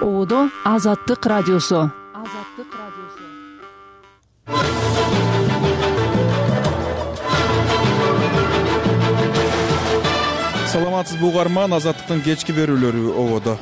Оодо Азаттык радиосу. Саламатсызбы угарман, Азаттыктын кечки берүүлөрү Оодо.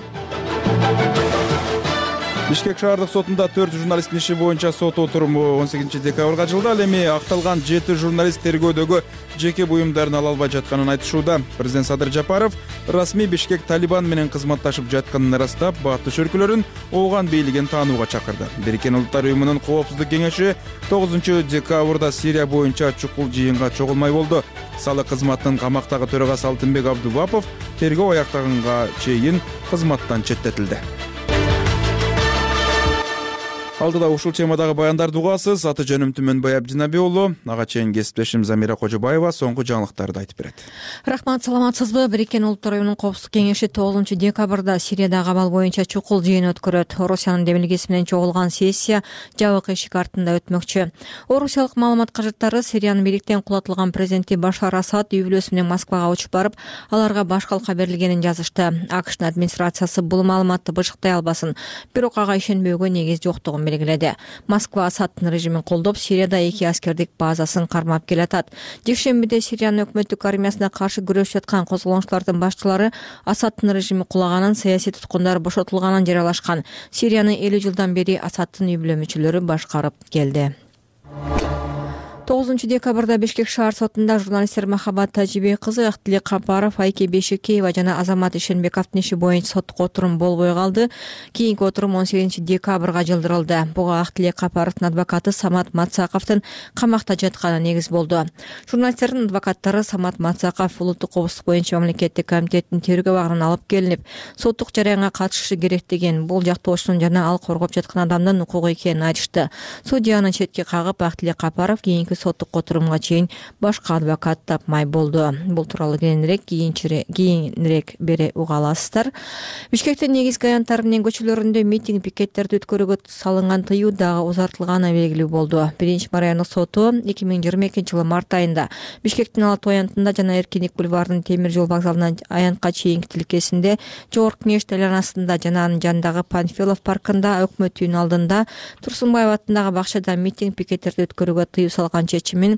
Бишкек шаардык сотунда 4 журналисттин иши боюнча сот отуруму 18 декабрга ачылды. Ал эми акталган 7 журналист тергөөдөгү жеке буюмдарын ала албай жатканын айтышууда. Президент Садыр Жапаров расмий Бишкек Талибан менен кызматташып жатканын ырастап, баттыш өлкөлөрүн Ооган бийлигин таанууга чакырды. Бириккен Улуттар уюмунун Коопсуздук кеңеши 9 декабрда Сирия боюнча чукул жыйынга чогулмай болду. Салык кызматынын камактагы төрагасы Алтынбек Абдувапов тергөө аяктаганга чейин кызматтан четтетилди. Алдыда ушул темадагы баяндарды угасыз. Аты жөнүм Түмөнбай Абдинаби уулу. Ага чейин кесиптешим Замира Кожобаева соңку жаңылыктарды айтып берет. Рахмат, саламатсызбы? Бириккен Улуттар уюмунун Коопсуздук кеңеши 9 декабрда Сириядагы абал боюнча чукул жыйын өткөрөт. Орусиянын демилгеси менен чогулган сессия жабык эшик артында өтмөкчү. Орусиялык маалымат кажыттары Сириянын бийликтен кулатылган президенти Башар Асад үй бүлөсү менен Москвага учуп барып, аларга баш калка берилгенин жазышты. АКШнын администрациясы бул маалыматты бышыктай албасын, бирок ага ишенбөөгө негиз жоктугун белгиледи. Москва Асадтын режимин колдоп, Сирияда 2 аскердик базасын кармап келатат. Жекшембиде Сириянын өкмөттүк армиясына каршы күрөшүп жаткан козголоңчулардын башчылары Асадтын режими кулаганын, саясий туткундар бошотулганын жарыялашкан. Сирияны 50 жылдан бери Асадтын үй бүлө мүчөлөрү башкарып келди. 9 декабрда Бишкек шаар сотунда журналисттер Махаббат Тажибей кызы, Актилек Капаров, Айке Бейшекеева жана Азамат Ишенбековдун иши боюнча соттук отурум болбой калды. Кийинки отурум 18 декабрга жылдырылды. Буга Актилек Капаровдун адвокаты Самат Мацаковдун камакта жатканы негиз болду. Журналисттердин адвокаттары Самат Мацаков улуттук коопсуздук боюнча мамлекеттик комитеттин тергөө абагынан алып келинип, соттук жараянга катышышы керек деген, бул жактоочунун жана ал коргоп жаткан адамдын укугу экенин айтышты. Судьяны четке кагып, Актилек Капаров кийинки соттук отурумга чейин башка адвокат тапмай болду. Бул тууралуу кийинирээк бере уга аласыздар. Бишкектин негизги аянттары менен көчөлөрүндө митинг пикеттерди өткөрүүгө салынган тыюу дагы узартылганы белгилүү болду. 1-райондук соту 2022 март айында Бишкектин Ала-Тоо аянтында жана Эркиндик бульварынын темир жол вокзалынан аянтка чейинки тилкесинде, Жогорку Кеңеш айланасында жана анын жанындагы Панфилов паркында, Өкмөт үйүнүн алдында, Турсунбаев атындагы бакчада митинг пикеттерди өткөрүүгө тыюу салган чечимин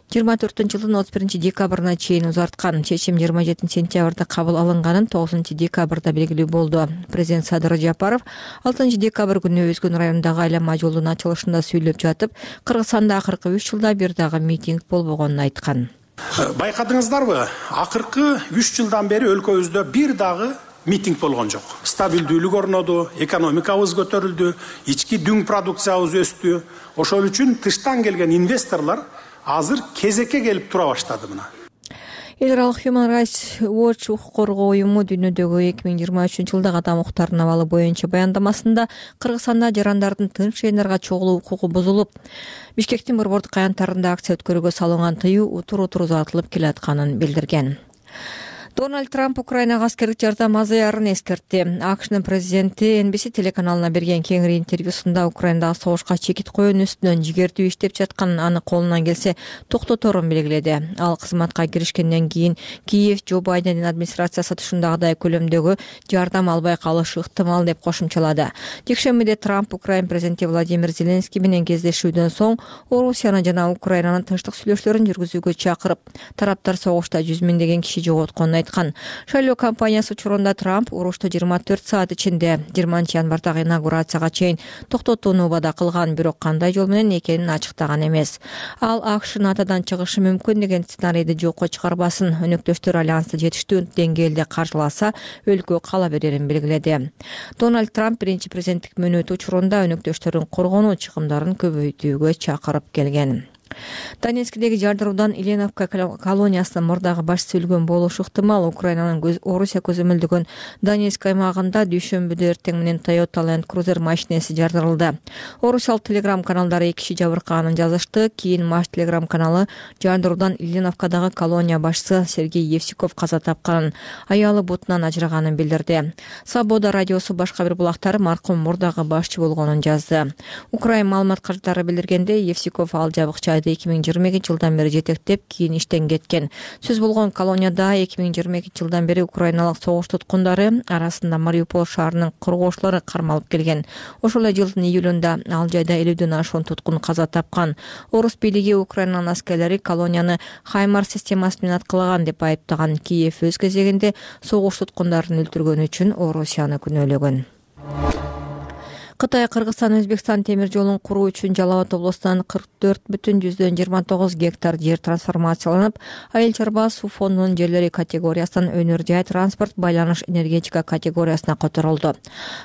24-жылдын 31 декабрына чейин узарткан. Чечим 27 сентябрда кабыл алынганын 9 декабрда белгилүү болду. Президент Садыр Жапаров 6 декабрь күнү Өзгөн районундагы айлама жолдун ачылышында сүйлөп жатып, Кыргызстанда акыркы 3 жылда бир дагы митинг болбогонун айткан. Байкадыңыздарбы? Акыркы 3 жылдан бери өлкөбүздө бир дагы митинг болгон жок. Стабилдүүлүк орноду, экономикабыз көтөрүлдү, ички дүң продукциябыз өстү. Ошол үчүн тыштан келген инвесторлор азыр кезекке келип тура баштады мына. Эл аралык Human Rights Watch укук коргоо уюму дүйнөдөгү 2023 жылдагы адам укуктарынын абалы боюнча баяндамасында Кыргызстанда жарандардын тынч жыйындарга чогулуу укугу бузулуп, Бишкектин борбордук аянттарында акция өткөрүүгө салынган тыюу утур-утур узартылып келатканын билдирген. Дональд Трамп Украинага аскердик жардам азаярын эскертти. АКШнын президенти NBC телеканалына берген кеңири интервьюсунда Украинадагы согушка чекит коюунун үстүнөн жигердүү иштеп жатканын, аны колунан келсе токтоторун белгиледи. Ал кызматка киришкенден кийин Киев Джо Байдендин администрациясы ушундагыдай көлөмдөгү жардам албай калышы ыктымал деп кошумчалады. Жекшембиде Трамп Украин президенти Владимир Зеленский менен кездешүүдөн соң Орусияны жана Украинанын тынчтык сүйлөшүүлөрүн жүргүзүүгө чакырып, тараптар согушта 100 миңдеген киши жоготконун айткан. Шайлоо кампаниясы учурунда Трамп урушты 24 саат ичинде 20 январдагы инаугурацияга чейин токтотууну убада кылган, бирок кандай жол менен экенин ачыктаган эмес. Ал АКШ НАТОдон чыгышы мүмкүн деген сценарийди жокко чыгарбасын, өнөктөштөр альянсты жетиштүү деңгээлде каржыласа, өлкө кала берерин белгиледи. Дональд Трамп биринчи президенттик мөөнөтү учурунда өнөктөштөрдүн коргонуу чыгымдарын көбөйтүүгө чакырып келген. Донецкдеги жардыруудан Ильиновка колониясынын мурдагы башчысы өлгөн болушу ыктымал. Украинанын Орусия көзөмөлдөгөн Донецк аймагында дүйшөмбүдө эртең менен Toyota Land Cruiser машинеси жардырылды. Орусиялык телеграм каналдары 2 киши жабыркаганын жазышты. Кийин Маш телеграм каналы жардыруудан Ильиновкадагы колония башчысы Сергей Евсиков каза тапканын, аялы бутунан ажыраганын билдирди. Свобода радиосу башка бир булактары маркум мурдагы башчы болгонун жазды. Украин маалымат каржылары билдиргенде, Евсиков ал жабык Колонияда 2022 жылдан бери жетектеп кийин иштен кеткен. Сөз болгон колонияда 2022 жылдан бери украиналык согуш туткундары арасында Мариуполь шаарынын коргоочулары кармалып келген. Ошол эле жылдын июлунда ал жайда 50ден ашуун туткун каза тапкан. Орус бийлиги Украинанын аскерлери колонияны Хаймар системасы менен аткылаган деп айыптаган. Киев өз кезегинде согуш туткундарын өлтүргөн үчүн Орусияны күнөөлөгөн. Кытай Кыргызстан Өзбекстан темир жолун куруу үчүн Жалал Абад облусунан 44,29 гектар жер трансформацияланып, айыл чарба суу фондунун жерлери категориясынан өнөр жай транспорт байланыш энергетика категориясына которулду.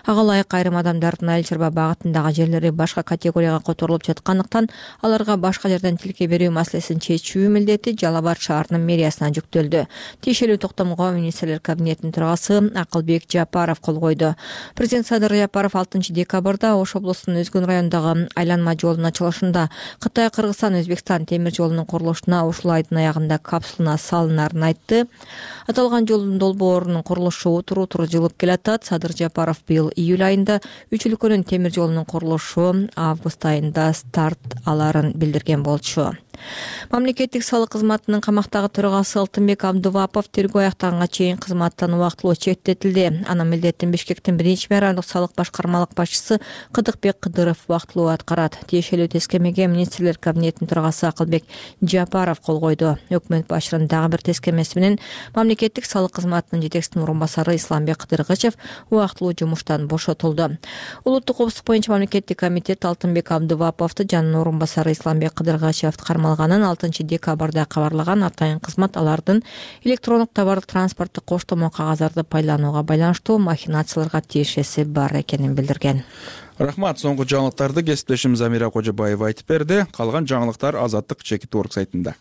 Ага ылайык айрым адамдардын айыл чарба багытындагы жерлери башка категорияга которулуп жаткандыктан аларга башка жерден тилке берүү маселесин чечүү милдети Жалал Абад шаарынын мэриясына жүктөлдү. Тиешелүү токтомго министрлер кабинетинин төрагасы Акылбек Жапаров кол койду. Президент Садыр Жапаров 6 декабрда Ош облусунун Өзгөн районундагы айланма жолдун ачылышында Кытай Кыргызстан Өзбекстан темир жолунун курулушуна ушул айдын аягында капсулана салынарын айтты. Аталган жолдун долбоорунун курулушу утуру жылып келатат. Садыр Жапаров быйыл июль айында 3 өлкөнүн темир жолунун курулушу август айында старт аларын билдирген болчу. Мамлекеттик салык кызматынын камактагы төрагасы Алтынбек Абдувапов тергөө аяктаганга чейин кызматтан убактылуу четтетилди. Анын милдетин Бишкектин 1-мэрандык салык башкармалык башчысы Кыдыкбек Кыдыров убактылуу аткарат. Тиешелүү тескемеге министрлер кабинетинин төрагасы Акылбек Жапаров кол койду. Өкмөт башчынын дагы бир тескемеси менен мамлекеттик салык кызматынын жетекчисинин орун басары Исламбек Кыдыргычев убактылуу жумуштан бошотулду. Улуттук коопсуздук боюнча мамлекеттик комитет Алтынбек Абдуваповду жанын орун басары Исламбек Кыдыргычевди кармалганын 6 декабрда кабарлаган. Атайын кызмат алардын электрондук товардык транспорттук коштомо кагаздарды пайдаланууга байланыштуу махинацияларга тиешеси бар экенин билдирген. Рахмат. Соңку жаңылыктарды кесиптешим Замира Кожобаева айтып берди. Калган жаңылыктар Азаттык Чекит Орг сайтында.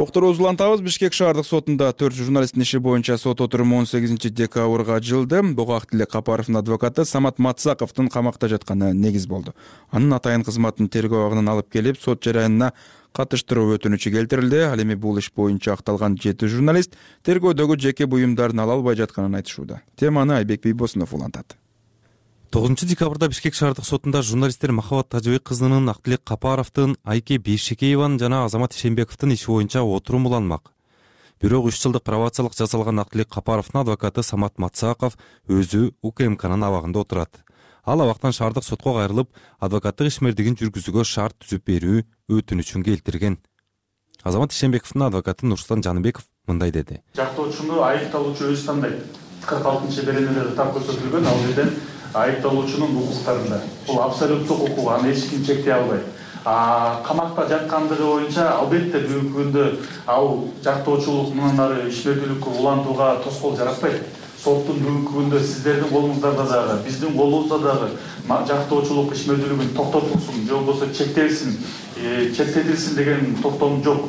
Окторубузду улантабыз. Бишкек шаардык сотунда 4 журналисттин иши боюнча сот отуруму 18 декабрга жылды. Буга Актилек Капаровдун адвокаты Самат Мацаковдун камакта жатканы негиз болду. Анын атайын кызматын тергөө абагынан алып келип, сот жараянына катыштыруу өтүнүчү келтирилди. Ал эми бул иш боюнча акталган 7 журналист тергөөдөгү жеке буюмдарын ала албай жатканын айтышууда. Теманы Айбек Бийбосунов улантат. 9 декабрда Бишкек шаардык сотунда журналисттер Махабат Тажыбек кызынын, Актилек Капаровдун, Айке Бейшекееванын жана Азамат Ишенбековдун иши боюнча отурум уланмак. Бирок 3 жылдык пробациялык жасалган Актилек Капаровдун адвокаты Самат Мацаков өзү УКМКнын абагында отурат. Ал абактан шаардык сотко кайрылып, адвокаттык ишмердигин жүргүзүүгө шарт түзүп берүү өтүнүчүн келтирген. Азамат Ишенбековдун адвокаты Нурсултан Жаныбеков мындай деди. Жактоочуну айыпталуучу өзү тандайт. 46-беренелерде так көрсөтүлгөн, ал жерден айыпталуучунун укуктарында. Бул абсолюттук укук, аны эч ким чектей албайт. Камакта жаткандыгы боюнча албетте бүгүнкү күндө ал жактоочулук мындан ары ишмердүүлүккө улантууга тоскоол жаратпайт. Соттун бүгүнкү күндө сиздердин колуңуздарда дагы, биздин колубузда дагы жактоочулук ишмердүүлүгүн токтотулсун, же болбосо чектетилсин деген токтом жок.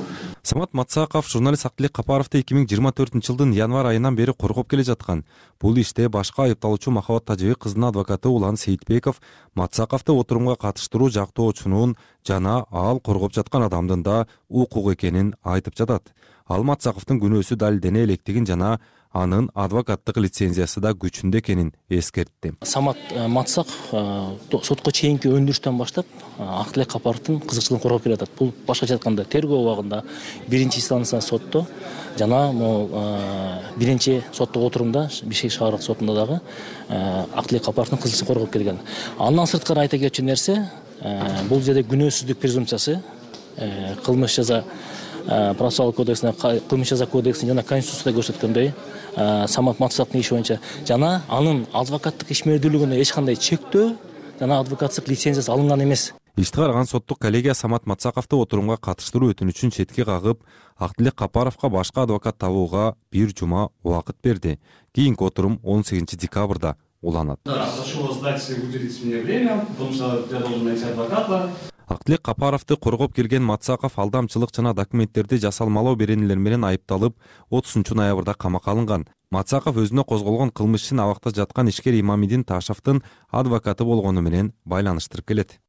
Самат Мацаков журналист Актилек Капаровду 2024 жылдын январь айынан бери коргоп келе жаткан. Бул иште башка айыпталуучу Махабат Тажыбек кызынын адвокаты Улан Сейитбеков Мацаковду отурумга катыштыруу жактоочунун жана ал коргоп жаткан адамдын да укук экенин айтып жатат. Ал Мацаковдун күнөөсү далилдене электигин жана анын адвокаттык лицензиясы да күчүндө экенин эскертти. Самат Мацаков сотко чейинки өндүрүштөн баштап Актилек Капаровдун кызыкчылыгын коргоп келе жатат. Бул башкача айтканда тергөө убагында 1-инстанция сотто жана биринчи соттук отурумда Бишкек шаардык сотунда дагы Актилек Капаровдун кызыкчылыгын коргоп келген. Андан сырткары айта кетчү нерсе, бул жерде күнөөсүздүк презумпциясы, кылмыш жаза процессуалдык кодексине, кылмыш жаза кодексине жана конституцияда көрсөткөндөй Самат Мацаковдун иши боюнча жана анын адвокаттык ишмердүүлүгүнө эч кандай чектөө жана адвокаттык лицензиясы алынган эмес. Ишти караган соттук коллегия Самат Мацаковду отурумга катыштыруу өтүнүчүн четке кагып, Актилек Капаровго башка адвокат табууга 1 жума убакыт берди. Кийинки отурум 18 декабрда уланат. Актилек Капаровду коргоп келген Мацаков алдамчылык жана документтерди жасалмалоо беренелер менен айыпталып, 30 ноябрда камакка алынган. Мацаков өзүнө козголгон кылмыш ишин абакта жаткан ишкер Имамидин Ташевдин адвокаты болгону менен байланыштырып келет.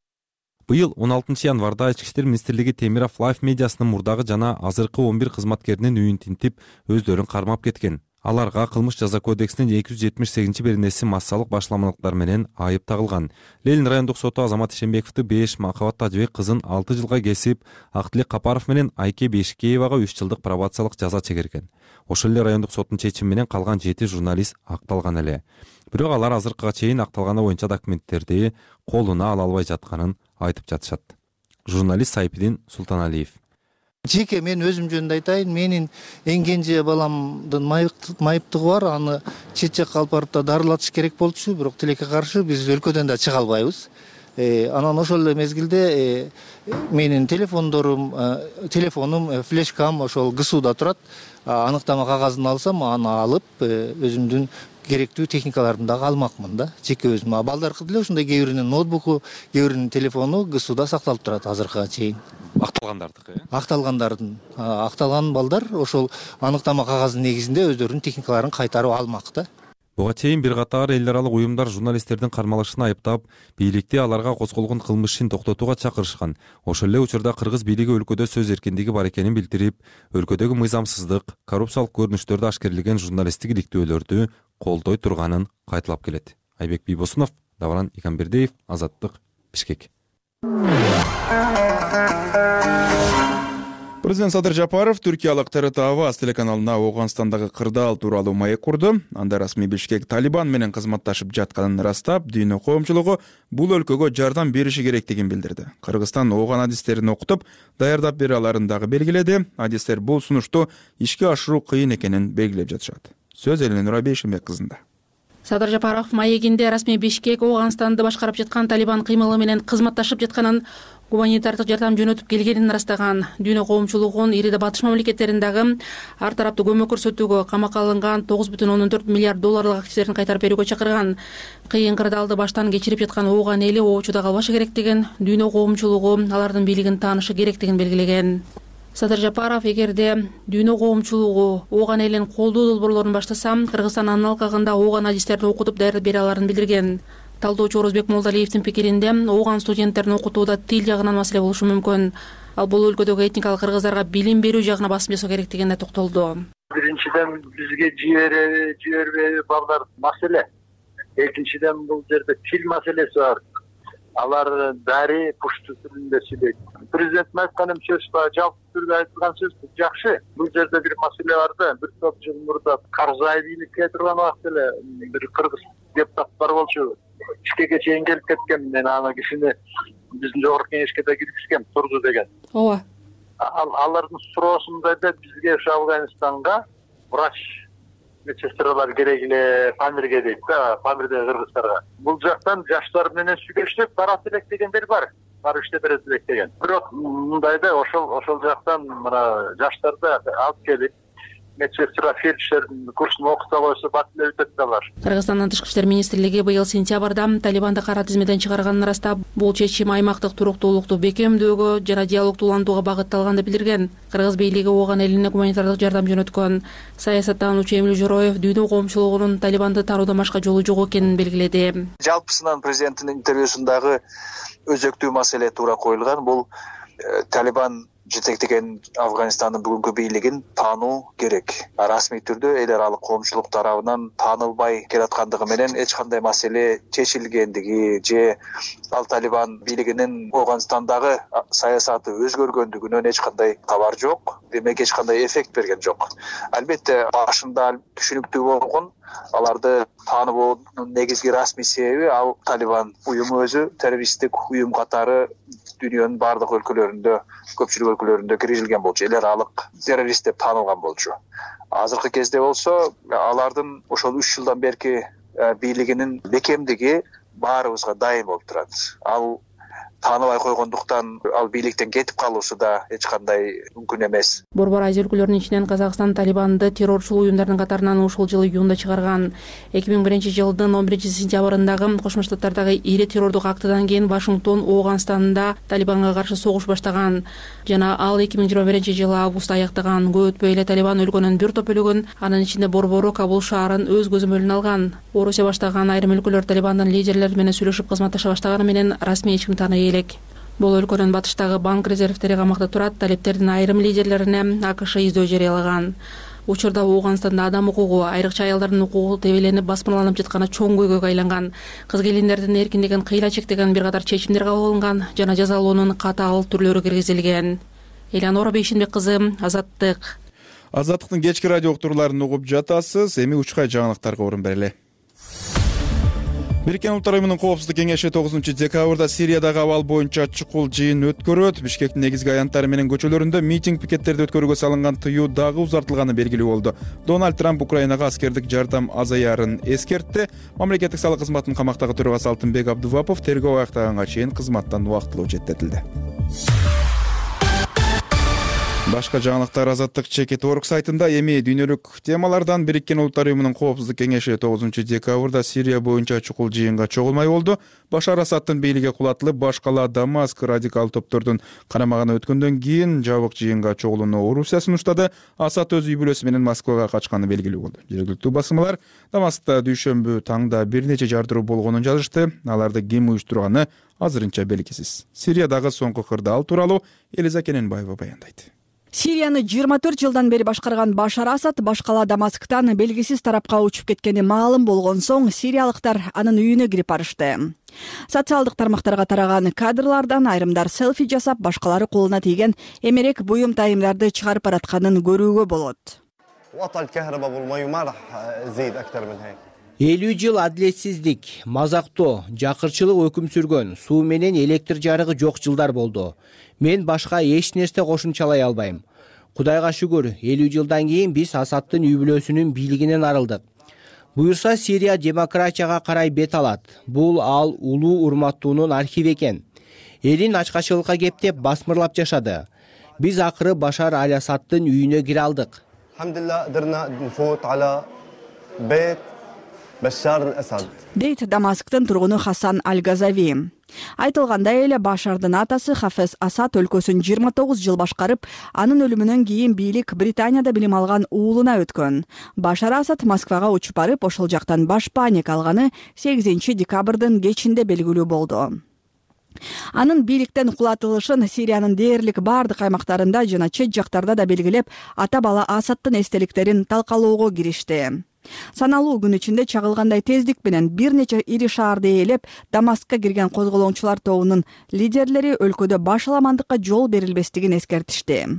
Быйыл 16 январда Ички иштер министрлиги Темиров Лайф медиасынын мурдагы жана азыркы 11 кызматкеринин үйүн тинтип, өздөрүн кармап кеткен. Аларга кылмыш жаза кодексинин 278-беренеси массалык башламалыктар менен айып тагылган. Ленин райондук соту Азамат Ишенбековду 5, Махабат Тажыбек кызын 6 жылга кесип, Актилек Капаров менен Айке Бешикеевага 3 жылдык пробациялык жаза чегерген. Ошол эле райондук соттун чечими менен калган 7 журналист акталган эле. Бирок алар азыркыга чейин акталганы боюнча документтерди колуна ала албай жатканын айтып жатышат. Журналист Сайпидин Султаналиев. Жеке мен өзүм жөнүндө айтайын, менин эң кенже баламдын майыптыгы бар, аны чет жакка алып барып да дарылатыш керек болчу, бирок тилекке каршы биз өлкөдөн да чыга албайбыз. Анан ошол эле мезгилде менин телефонум, флешкам ошол ГСУда турат. Аныктама кагазын алсам, аны алып өзүмдүн керектүү техникаларды дагы алмакмын да, жеке өзүм. Балдаркы деле ушундай кээ биринин ноутбуку, кээ биринин телефону ГСУда сакталып турат азыркыга чейин. Акталгандардыкы? Акталгандардын. Акталган балдар ошол аныктама кагазынын негизинде өздөрүнүн техникаларын кайтарып алмак да. Буга чейин бир катар эл аралык уюмдар журналисттердин кармалышын айыптап, бийликти аларга козголгон кылмыш ишин токтотууга чакырышкан. Ошол эле учурда кыргыз бийлиги өлкөдө сөз эркиндиги бар экенин билдирип, өлкөдөгү мыйзамсыздык, коррупциялык көрүнүштөрдү ашкерлеген журналисттик иликтөөлөрдү колдой турганын кайталап келет. Айбек Бийбосунов, Давран Иканбердиев, Азаттык, Бишкек. Президент Садыр Жапаров түркиялык ТРТ Аваз телеканалына Ооганстандагы кырдаал тууралуу маек курду. Анда расмий Бишкек Талибан менен кызматташып жатканын ырастап, дүйнө коомчулугу бул өлкөгө жардам бериши керектигин билдирди. Кыргызстан ооган адистерин окутуп, даярдап бере аларын дагы белгиледи. Адистер бул сунушту ишке ашыруу кыйын экенин белгилеп жатышат. Сөз Эленура Бейшембек кызында. Садыр Жапаров маегинде расмий Бишкек Ооганстанды башкарып жаткан Талибан кыймылы менен кызматташып жатканын, гуманитардык жардам жөнөтүп келгенин ырастаган. Дүйнө коомчулугун ириде батыш мамлекеттериндагы ар тараптуу көмөк көрсөтүүгө, камакка алынган 9,4 миллиард долларлык активдерин кайтарып берүүгө чакырган. Кыйын кырдаалды баштан кечирип жаткан ооган эли оочуда калбашы керектигин, дүйнө коомчулугу алардын бийлигин таанышы керектигин белгилеген. Садыр Жапаров эгерде дүйнө коомчулугу ооган элин колдоо долбоорлорун баштаса, Кыргызстан анын алкагында ооган адистерин окутуп даярдап бере аларын билдирген. Талдоочу Орозбек Молдалиевдин пикиринде, ооган студенттерин окутууда тил жагынан маселе болушу мүмкүн. Ал бул өлкөдөгү этникалык кыргыздарга билим берүү жагына басым жасоо керектигине токтолду. Биринчиден бизге жибербей балдар маселе. Экинчиден бул жерде тил маселеси бар. Алар дари пушту тилинде сүйлөйт. Президенттин айткан сөз жалпы түрдө айтылган сөз жакшы. Бул жерде бир маселе бар да, бир топ жыл мурда Карзай бийликке турган убакта эле бир кыргыз депутат бар болчу. Бишкекке чейин келип кеткен. Мен аны кишини биздин жогорку кеңешке да киргизгем, турду деген. Ооба. Алардын суроосунда да бизге Афганистанга врач медсестралар керек эле, Памирге дейт да, Памирдеги кыргыздарга. Бул жактан жаштар менен сүйлөшүп барат элек дегендер бар. Барып иштеп берет элек деген. Бирок мындай да ошол жактан мына жаштарды алып келип медсестра фельдшердин курсун окута койсо бат эле өтөт да алар. Кыргызстандын тышкы иштер министрлиги быйыл сентябрда Талибанды кара тизмеден чыгарганын ырастап, бул чечим аймактык туруктуулукту бекемдөөгө жана диалогдууландууга багытталган деп билдирген. Кыргыз бийлиги ооган элине гуманитардык жардам жөнөткөн. Саясаттануучу Эмил Жороев дүйнө коомчулугунун Талибанды таруудан башка жолу жок экенин белгиледи. Жалпысынан президенттин интервьюсундагы өзөктүү маселе туура коюлган. Бул Талибан жетектеген Афганистандын бүгүнкү бийлигин таануу керек. Расмий түрдө эл аралык коомчулук тарабынан таанылбай келаткандыгы менен эч кандай маселе чечилгендиги же ал Талибан бийлигинин Афганистандагы саясаты өзгөргөндүгүнөн эч кандай кабар жок. Демек эч кандай эффект берген жок. Албетте башында түшүнүктүү болгон аларды тааныбоонун негизги расмий себеби ал Талибан уюму өзү террористтик уюм катары дүйнөнүн бардык өлкөлөрүндө, көпчүлүк өлкөлөрүндө киргизилген болчу. Эл аралык террорист деп таанылган болчу. Азыркы кезде болсо алардын ошол 3 жылдан берки бийлигинин бекемдиги баарыбызга дайым болуп турат. Ал тааныбай койгондуктан ал бийликтен кетип калуусу да эч кандай мүмкүн эмес. Борбор Азия өлкөлөрүнүн ичинен Казакстан Талибанды террорчул уюмдардын катарынан ушул жылы июнда чыгарган. 2001-жылдын 11-сентябрындагы Кошмо Штаттардагы ири террордук актыдан кийин Вашингтон Ооганстанда Талибанга каршы согуш баштаган жана ал 2021-жылы августта аяктаган. Көп өтпөй эле Талибан өлкөнүн бир топ бөлүгүн, анын ичинде борбору Кабул шаарын өз көзөмөлүнө алган. Орусия баштаган айрым өлкөлөр Талибандын лидерлери менен сүйлөшүп кызматташа баштаганы менен расмий эч ким тааный элек. Бул өлкөнүн батыштагы банк резервтери камакта турат. Талиптердин айрым лидерлерине АКШ издөө жарыялаган. Учурда Ооганстанда адам укугу, айрыкча аялдардын укугу тебеленип басмырланып жатканы чоң көйгөйгө айланган. Кыз келиндердин эркиндигин кыйла чектеген бир катар чечимдер кабыл алынган жана жазалоонун катаал түрлөрү киргизилген. Элеонора Бейшенбек кызы, Азаттык. Азаттыктын кечки радио уктурууларын угуп жатасыз. Эми учкай жаңылыктарга орун берели. Бириккен Улуттар Уюмунун Коопсуздук кеңеши 9-декабрда Сириядагы абал боюнча чукул жыйын өткөрөт. Бишкектин негизги аянттары менен көчөлөрүндө митинг пикеттерди өткөрүүгө салынган тыюу дагы узартылганы белгилүү болду. Дональд Трамп Украинага аскердик жардам азаярын эскертти. Мамлекеттик салык кызматынын камактагы төрагасы Алтынбек Абдувапов тергөө аяктаганга чейин кызматтан убактылуу четтетилди. Башка жаңылыктар Азаттык Чекит.org сайтында. Эми дүйнөлүк темалардан Бириккен Улуттар Уюмунун Коопсуздук кеңеши 9-декабрда Сирия боюнча чукул жыйынга чогулмай болду. Башар Асадтын бийлиги кулатылып, баш кала Дамаск радикал топтордун карамагына өткөндөн кийин жабык жыйынга чогулууну Орусия сунуштады. Асад өз үй бүлөсү менен Москвага качканы белгилүү болду. Жергиликтүү басылмалар Дамаскта дүйшөмбү таңда бир нече жардыруу болгонун жазышты. Аларды ким уюштурганы азырынча белгисиз. Сириядагы соңку кырдаал тууралуу Элиза Кененбаева баяндайт. Сирияны 24 жылдан бери башкарган Башар Асад баш кала Дамасктан белгисиз тарапка учуп кеткени маалым болгон соң сириялыктар анын үйүнө кирип барышты. Социалдык тармактарга тараган кадрлардан айрымдар селфи жасап, башкалары колуна тийген эмерек буюм тайымдарды чыгарып баратканын көрүүгө болот. 50 жыл адилетсиздик, мазактоо, жакырчылык өкүм сүргөн, суу менен электр жарыгы жок жылдар болду. Мен башка эч нерсе кошумчалай албайм. Кудайга шүгүр, 50 жылдан кийин биз Асадтын үй бүлөсүнүн бийлигинен арылдык. Буюрса Сирия демократияга карай бет алат. Бул ал улуу урматтуунун архиви экен. Элин ачкачылыкка кептеп басмырлап жашады. Биз акыры Башар Асадтын үйүнө кире алдык. Дейт Дамасктын тургуну Хасан Аль-Газави. Айтылгандай эле Башардын атасы Хафез Асад өлкөсүн 29 жыл башкарып, анын өлүмүнөн кийин бийлик Британияда билим алган уулуна өткөн. Башар Асад Москвага учуп барып, ошол жактан баш паник алганы 8-декабрдын кечинде белгилүү болду. Анын бийликтен кулатылышын Сириянын дээрлик бардык аймактарында жана чет жактарда да белгилеп, ата бала Асадтын эстеликтерин талкалоого киришти. Саналуу күн ичинде чагылгандай тездик менен бир нече ири шаарды ээлеп, Дамаскка кирген козголоңчулар тобунун лидерлери өлкөдө баш аламандыкка жол берилбестигин эскертишти.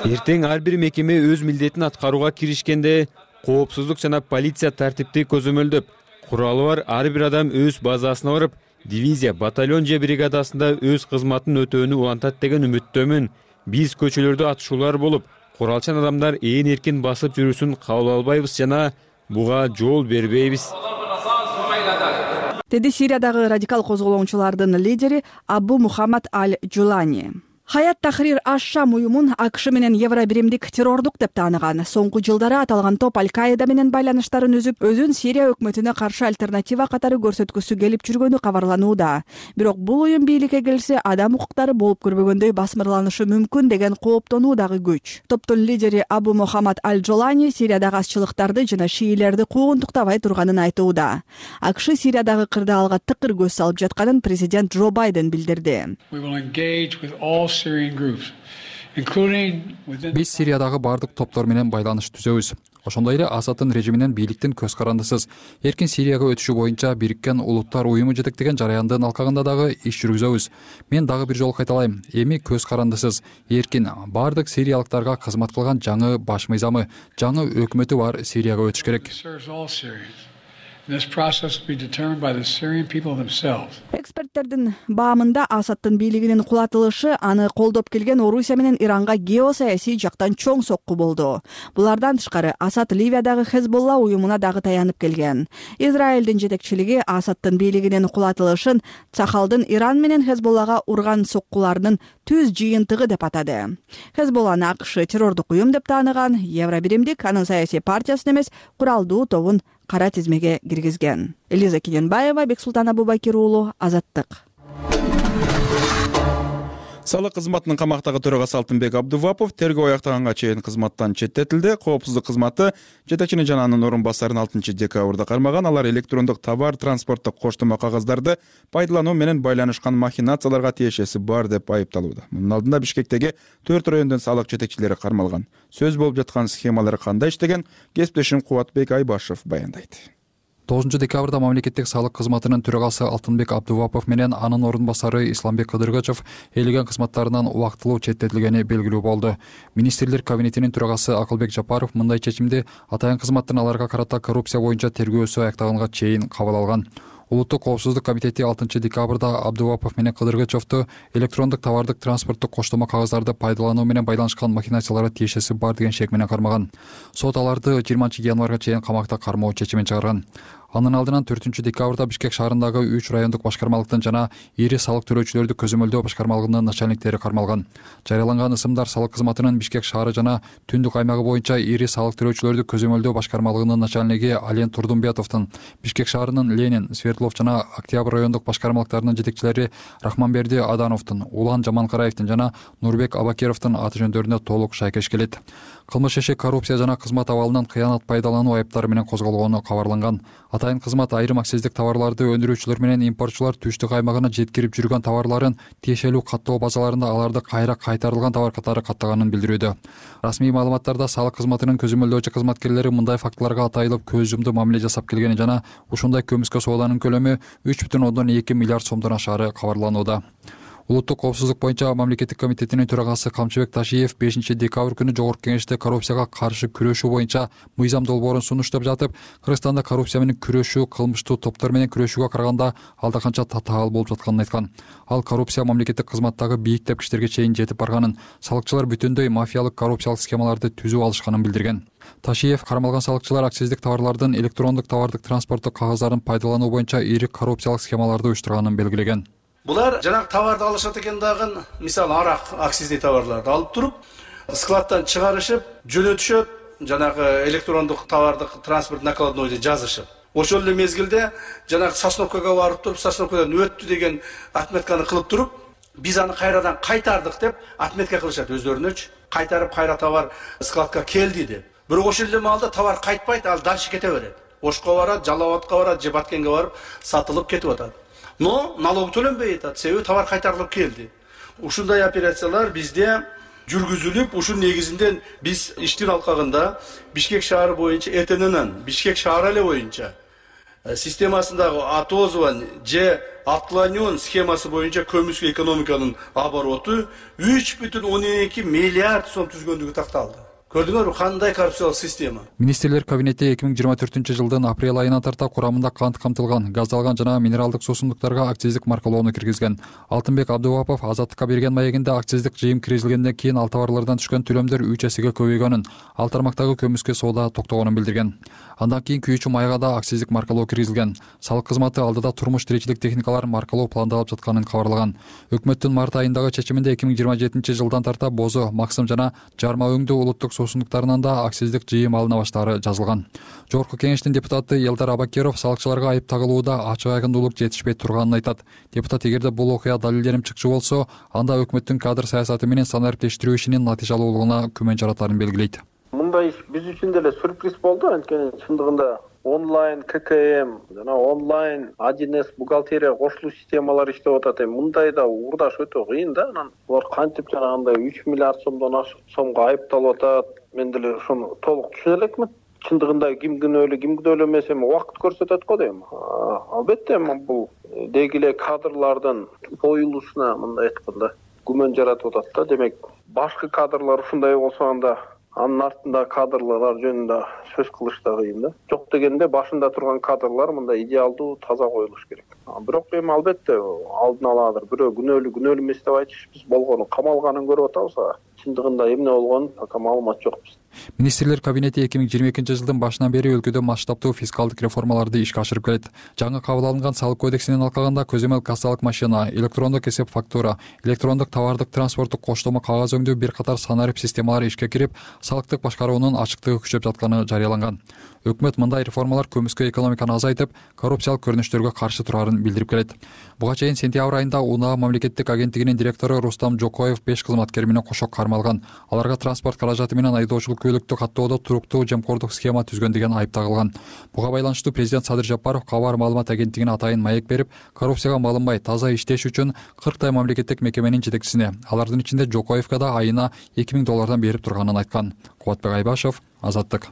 Эртең ар бир мекеме өз милдетин аткарууга киришкенде, коопсуздук жана полиция тартипти көзөмөлдөп, куралы бар ар бир адам өз базасына барып, дивизия, батальон же бригадасында өз кызматын өтөөнү улантат деген үмүттөмүн. Биз көчөлөрдө атышуулар болуп, куралчан адамдар ээн эркин басып жүрүүсүн кабыл албайбыз жана буга жол бербейбиз. Деди Сириядагы радикал козголоңчулардын лидери Абу Мухаммад Аль-Джулани. Хаят Тахрир аш-Шам уюмун АКШ менен Евробиримдик террордук деп тааныган. Соңку жылдары аталган топ Аль-Каида менен байланыштарын үзүп, өзүн Сирия өкмөтүнө каршы альтернатива катары көрсөткүсү келип жүргөнү кабарланууда. Бирок бул уюм бийликке келсе, адам укуктары болуп көрбөгөндөй басмырланышы мүмкүн деген кооптонуу дагы күч. Топтун лидери Абу Мухаммад Аль-Джолани Сириядагы азчылыктарды жана шиилерди куугунтуктабай турганын айтууда. АКШ Сириядагы кырдаалга тыкыр көз салып жатканын президент Джо Байден билдирди. Биз Сириядагы бардык топтор менен байланыш түзөбүз. Ошондой эле Асадтын режиминен бийликтин көз карандысыз эркин Сирияга өтүшү боюнча Бириккен Улуттар Уюму жетектеген жараяндын алкагында дагы иш жүргүзөбүз. Мен дагы бир жолу кайталайм. Эми көз карандысыз эркин бардык сириялыктарга кызмат кылган жаңы баш мыйзамы, жаңы өкмөтү бар Сирияга өтүш керек. Эксперттердин баамында Асадтын бийлигинин кулатылышы аны колдоп келген Орусия менен Иранга геосаясий жактан чоң сокку болду. Булардан тышкары Асад Ливиядагы Хезболла уюмуна дагы таянып келген. Израилдин жетекчилиги Асадтын бийлигинин кулатылышын Цахалдын Иран менен Хезболлага урган соккуларынын түз жыйынтыгы деп атады. Хезболланы АКШ террордук уюм деп тааныган, Евробиримдик анын саясий партиясын эмес, куралдуу тобун кара тизмеге киргизген. Элиза Кененбаева, Бексултан Абубакир уулу, Азаттык. Салык кызматынын камактагы төрагасы Алтынбек Абдувапов тергөө аяктаганга чейин кызматтан четтетилди. Коопсуздук кызматы жетекчини жана анын орун басарын 6 декабрда кармаган. Алар электрондук товар транспорттук коштомо кагаздарды пайдалануу менен байланышкан махинацияларга тиешеси бар деп айыпталууда. Мунун алдында Бишкектеги 4 райондун салык жетекчилери кармалган. Сөз болуп жаткан схемалар кандай иштеген кесиптешим Кубатбек Айбашев баяндайт. 9 декабрда мамлекеттик салык кызматынын төрагасы Алтынбек Абдувапов менен анын орун басары Исламбек Кыдыргычев ээлеген кызматтарынан убактылуу четтетилгени белгилүү болду. Министрлер кабинетинин төрагасы Акылбек Жапаров мындай чечимди атайын кызматтын аларга карата коррупция боюнча тергөөсү аяктаганга чейин кабыл алган. Улуттук коопсуздук комитети 6 декабрда Абдувапов менен Кыдыргычевду электрондук товардык транспорттук коштомо кагаздарды пайдалануу менен байланышкан махинацияларга тиешеси бар деген шек менен кармаган. Сот аларды 20 январга чейин камакта кармоо чечимин чыгарган. Анын алдынан 4 декабрда Бишкек шаарындагы 3 райондук башкармалыктын жана ири салык төлөөчүлөрдү көзөмөлдөө башкармалыгынын начальниктери кармалган. Жарыяланган ысымдар салык кызматынын Бишкек шаары жана түндүк аймагы боюнча ири салык төлөөчүлөрдү көзөмөлдөө башкармалыгынын начальниги Ален Турдумбетовдун, Бишкек шаарынын Ленин, Свердлов жана Октябрь райондук башкармалыктарынын жетекчилери Рахманберди Адановдун, Улан Жаманкараевдин жана Нурбек Абакеровдун аты жөндөрүнө толук шайкеш келет. Кылмыш иши коррупция жана кызмат абалынан кыянат пайдалануу айыптары менен козголгону кабарланган. Атайын кызмат айрым акциздик товарларды өндүрүүчүлөр менен импортчулар түштүк аймагына жеткирип жүргөн товарларын тиешелүү каттоо базаларында аларды кайра кайтарылган товар катары каттаганын билдирүүдө. Расмий маалыматтарда салык кызматынын көзөмөлдөөчү кызматкерлери мындай фактыларга атайылып көз жумду мамиле жасап келгени жана ушундай көмүскө сооданын көлөмү 3,2 миллиард сомдон ашаары кабарланууда. Улуттук коопсуздук боюнча мамлекеттик комитетинин төрагасы Камчыбек Ташиев 5 декабрь күнү Жогорку Кеңеште коррупцияга каршы күрөшүү боюнча мыйзам долбоорун сунуштап жатып, Кыргызстанда коррупция менен күрөшүү кылмыштуу топтор менен күрөшүүгө караганда алда канча татаал болуп жатканын айткан. Ал коррупция мамлекеттик кызматтагы бийик тепкичтерге чейин жетип барганын, салыкчылар бүтүндөй мафиялык коррупциялык схемаларды түзүп алышканын билдирген. Ташиев кармалган салыкчылар акциздик товарлардын электрондук товардык транспорттук кагаздарын пайдалануу боюнча ири коррупциялык схемаларды уюштурганын белгилеген. Булар жанагы товарды алышат экен дагы, мисалы арак акциздик товарларды алып туруп, складтан чыгарышып, жөнөтүшөт, жанагы электрондук товардык транспорт накладнойду жазышып. Ошол эле мезгилде жанагы сосновкага барып туруп, сосновкадан өттү деген отметканы кылып туруп, биз аны кайрадан кайтардык деп отметка кылышат өздөрүнөчү. Кайтарып кайра товар складка келди деп. Бирок ошол эле маалда товар кайтпайт, ал дальше кете берет. Ошко барат, Жалал Абадка барат, же Баткенге барып сатылып кетип атат. Но налог төлөнбөй атат, себеби товар кайтарылып келди. Ушундай операциялар бизде жүргүзүлүп, ушун негизинде биз иштин алкагында Бишкек шаары боюнча ЭТНнын Бишкек шаары эле боюнча системасындагы отозван же отклонен схемасы боюнча көмүскө экономиканын обороту 3,12 миллиард сом түзгөндүгү такталды. Көрдүңөрбү кандай коррупциялык система? Министрлер кабинети 2024 жылдын апрель айына тарта курамында кант камтылган, газдалган жана минералдык суусундуктарга акциздик маркалоону киргизген. Алтынбек Абдувапов Азаттыкка берген маегинде акциздик жыйым киргизилгенден кийин ал товарлардан түшкөн төлөмдөр 3 эсеге көбөйгөнүн, ал тармактагы көмүскө соода токтогонун билдирген. Андан кийин күйүүчү майга да акциздик маркалоо киргизилген. Салык кызматы алдыда турмуш тиричилик техникаларын маркалоо пландалып жатканын кабарлаган. Өкмөттүн март айындагы чечиминде 2027 жылдан тарта бозо, максым жана жарма өңдүү улуттук суусундуктарынан да акциздик жыйым алына баштаары жазылган. Жогорку Кеңештин депутаты Элдар Абакеров салыкчыларга айып тагылууда ачык айкындуулук жетишпей турганын айтат. Депутат эгерде бул окуя далилдерим чыкчы болсо, анда өкмөттүн кадр саясаты менен санариптештирүү ишинин натыйжалуулугуна күмөн жаратарын белгилейт. Мындай иш биз үчүн деле сюрприз болду, анткени чындыгында онлайн ККМ жана онлайн 1С бухгалтерия кошулуу системалар иштеп атат. Мындайда уурдаш өтө кыйын да. Анан булар кантип жанагындай 3 миллиард сомдон ашык сомго айыпталып атат. Мен деле ошону толук түшүнө элекмин. Чындыгында ким күнөөлүү эмес, эми убакыт көрсөтөт го дейм. Албетте бул деги эле кадрлардын коюлушуна мындай айтканда күмөн жаратып атат да. Демек, башкы кадрлар ушундай болсо анда анын артында кадрлар жөнүндө сөз кылыш да кыйын да. Жок дегенде башында турган кадрлар мындай идеалдуу, таза коюлуш керек. Бирок эми албетте алдын аладыр бирөө күнөөлүү эмес деп айтышпыз, болгону камалганын көрүп атабыз. Чындыгында эмне болгонун пока маалымат жок бизде. Министрлер кабинети 2022 жылдын башынан бери өлкөдө масштабдуу фискалдык реформаларды ишке ашырып келет. Жаңы кабыл алынган салык кодексинин алкагында көзөмөл кассалык машина, электрондук эсеп фактура, электрондук товардык транспорттук коштомо кагаз өңдүү бир катар санарип системалары ишке кирип, салыктык башкаруунун ачыктыгы күчөп жатканы жарыяланган. Өкмөт мындай реформалар көмүскө экономиканы азайтып, коррупциялык көрүнүштөргө каршы турарын билдирип келет. Буга чейин сентябрь айында УНА мамлекеттик агенттигинин директору Рустам Жокоев 5 кызматкер менен кошо кармалган. Аларга транспорт каражаты менен айдоочулук көлүктү каттоодо туруктуу жемкордук схема түзгөн деген айып тагылган. Буга байланыштуу президент Садыр Жапаров кабар маалымат агенттигине атайын маек берип, коррупцияга малынбай таза иштеш үчүн 40 мамлекеттик мекеменин жетекчисине, алардын ичинде Жокоевго да айына $2000 берип турганын айткан. Кубатбек Айбашев, Азаттык.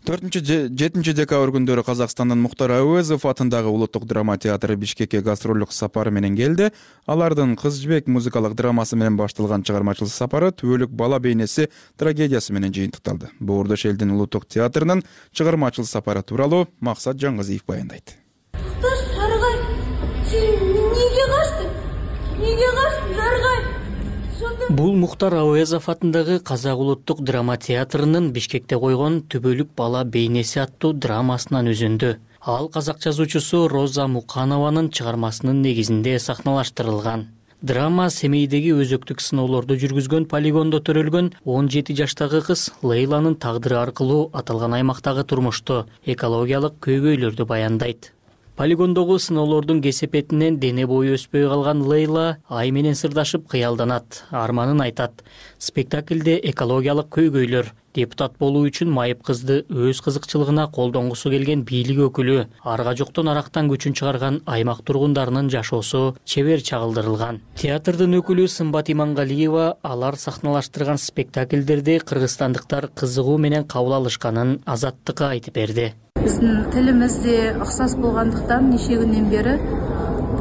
4-7 декабрь күндөрү Казакстандын Мухтар Әуезов атындагы улуттук драма театры Бишкекке гастролдук сапары менен келди. Алардын Кыз жибек музыкалык драмасы менен башталган чыгармачылык сапары түбөлүк бала бейнеси трагедиясы менен жыйынтыкталды. Боордош элдин улуттук театрынын чыгармачылык сапары тууралуу Максат Жаңгызиев баяндайт. Сарыгай, сен неге качтың? Неге качтың, Сарыгай? Бул Мухтар Әуезов атындагы Казак улуттук драма театрынын Бишкекте койгон Түбөлүк бала бейнеси аттуу драмасынан үзүндү. Ал казак жазуучусу Роза Муканованын чыгармасынын негизинде сахналаштырылган. Драма Семейдеги өзөктүк сыноолорду жүргүзгөн полигондо төрөлгөн 17 жаштагы кыз Лейланын тагдыры аркылуу аталган аймактагы турмушту, экологиялык көйгөйлөрдү баяндайт. Полигондогу сыноолордун кесепетинен дене бою өспөй калган Лейла ай менен сырдашып кыялданат, арманын айтат. Спектаклде экологиялык көйгөйлөр, депутат болуу үчүн майып кызды өз кызыкчылыгына колдонгусу келген бийлик өкүлү, арга жоктон арактан күчүн чыгарган аймак тургундарынын жашоосу чебер чагылдырылган. Театрдын өкүлү Сымбат Имангалиева алар сахналаштырган спектаклдерди кыргызстандыктар кызыгуу менен кабыл алышканын Азаттыкка айтып берди. Биздин тилимиз де окшос болгондуктан нече күндөн бери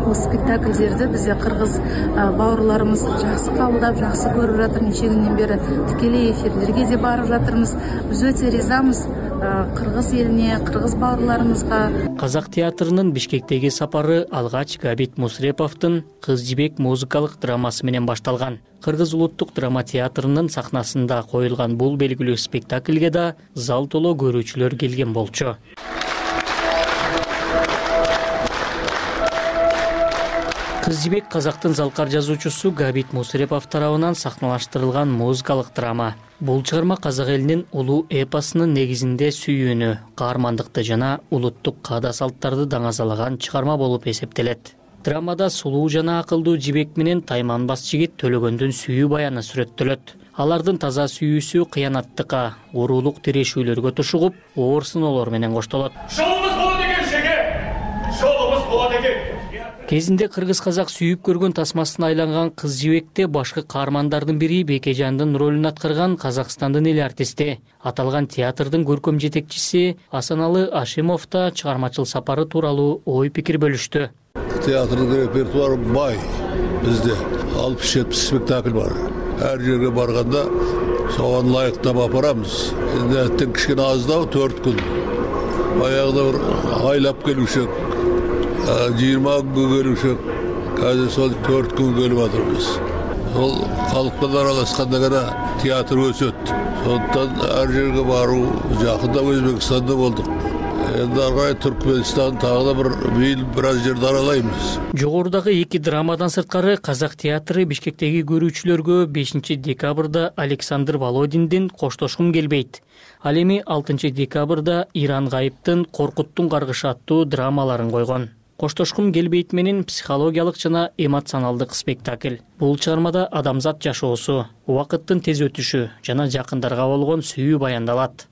бул спектакльдерди бизде кыргыз бауырларыбыз жакшы кабылдап, жакшы көрүп жатыр. Нече күндөн бери тикелей эфирлерге де барып жатырбыз. Биз өтө ризамыз кыргыз элине, кыргыз бауырларыбызга. Казак театрынын Бишкектеги сапары алгач Габит Мусреповдун Кыз жибек музыкалык драмасы менен башталган. Кыргыз улуттук драма театрынын сахнасында коюлган бул белгилүү спектакльге да зал толо көрүүчүлөр келген болчу. Кыз жибек казактын залкар жазуучусу Габит Мусрепов тарабынан сахналаштырылган музыкалык драма. Бул чыгарма казак элинин улуу эпосунун негизинде сүйүүнү, каармандыкты жана улуттук каада салттарды даңазалаган чыгарма болуп эсептелет. Драмада сулуу жана акылдуу жибек менен тайманбас жигит Төлөгөндүн сүйүү баяны сүрөттөлөт. Алардын таза сүйүүсү кыянаттыкка, уруулук тирешүүлөргө тушугуп, оор сыноолор менен коштолот. Жолубуз болот экен, шеке. Жолубуз болот экен. Кезинде кыргыз-казак сүйүп көргөн тасмасына айланган Кыз жибекте башкы каармандардын бири Бекежандын ролун аткарган Казакстандын эл артисти. Аталган театрдын көркөм жетекчиси Асаналы Ашимов да чыгармачылык сапары тууралуу ой пикир бөлүштү. Театрдын репертуары бай. Бизде 60-70 спектакль бар. Ар жерге барганда согон ылайыктап апарамыз. Энден кичине аздабы 4 күн. Баягыда бир айлап келушек, 20 күн келушек. Казыр сол 4 күн келип атырбыз. Сол калкты аралашканда гана театр өсөт. Сондуктан ар жерге баруу, жакында Өзбекстанда болдук. Эndi аргай Түркмөнстан тагы да бир аз жерди аралайбыз. Жогорудагы эки драмадан сырткары Казак театры Бишкектеги көрүүчүлөргө 5 декабрда Александр Володиндин Коштошкум келбейт. Ал эми 6 декабрда Иран Гайыптын Коркуттун каргышы аттуу драмаларын койгон. Коштошкум келбейт менен психологиялык жана эмоционалдык спектакль. Бул чыгармада адамзат жашоосу, убакыттын тез өтүшү жана жакындарга болгон сүйүү баяндалат.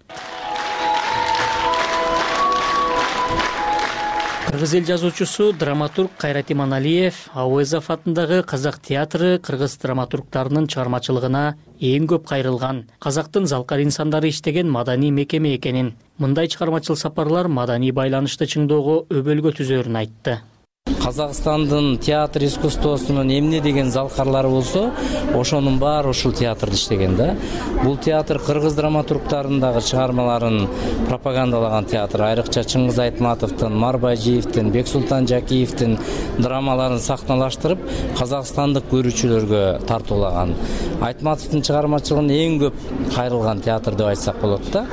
Кыргыз эл жазуучусу, драматург Кайрат Иманалиев Әуезов атындагы Казак театры кыргыз драматургтарынын чыгармачылыгына эң көп кайрылган, казактын залкар инсандары иштеген маданий мекеме экенин, мындай чыгармачыл сапарлар маданий байланышты чыңдоого өбөлгө түзөрүн айтты. Казакстандын театр искусствосунун эмне деген залкарлары болсо, ошонун баары ушул театрда иштеген да. Бул театр кыргыз драматургтарындагы чыгармаларын пропагандалаган театр. Айрыкча Чыңгыз Айтматовдун, Марбайжиевдин, Бексултан Жакиевдин драмаларын сахналаштырып, казакстандык көрүүчүлөргө тартуулаган. Айтматовдун чыгармачылыгын эң көп кайрылган театр деп айтсак болот да.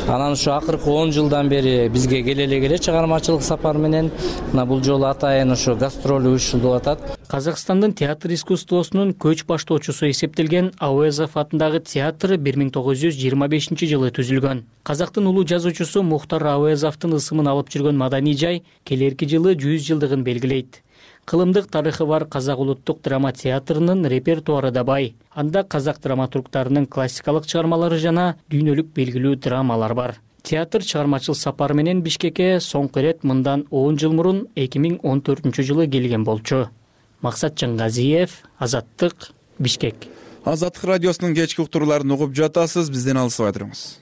Анан ушу акыркы 10 жылдан бери бизге келе чыгармачылык сапар менен бул жолу атайын ошо гастроль уюштурулуп атат. Казакстандын театр искусствосунун көч баштоочусу эсептелген Ауезов атындагы театр 1925 жылы түзүлгөн. Казактын улуу жазуучусу Мухтар Ауезовдун ысымын алып жүргөн маданий жай келерки жылы 100 жылдыгын белгилейт. Кылымдык тарыхы бар Казак улуттук драма театрынын репертуары да бай. Анда казак драматургтарынын классикалык чыгармалары жана дүйнөлүк белгилүү драмалар бар. Театр чыгармачыл сапар менен Бишкекке соңку ирет мындан 10 жыл мурун 2014 жылы келген болчу. Максат Жаңгазиев, Азаттык, Бишкек. Азаттык радиосунун кечки уктурууларын угуп жатасыз, бизден алысыбай туруңуз.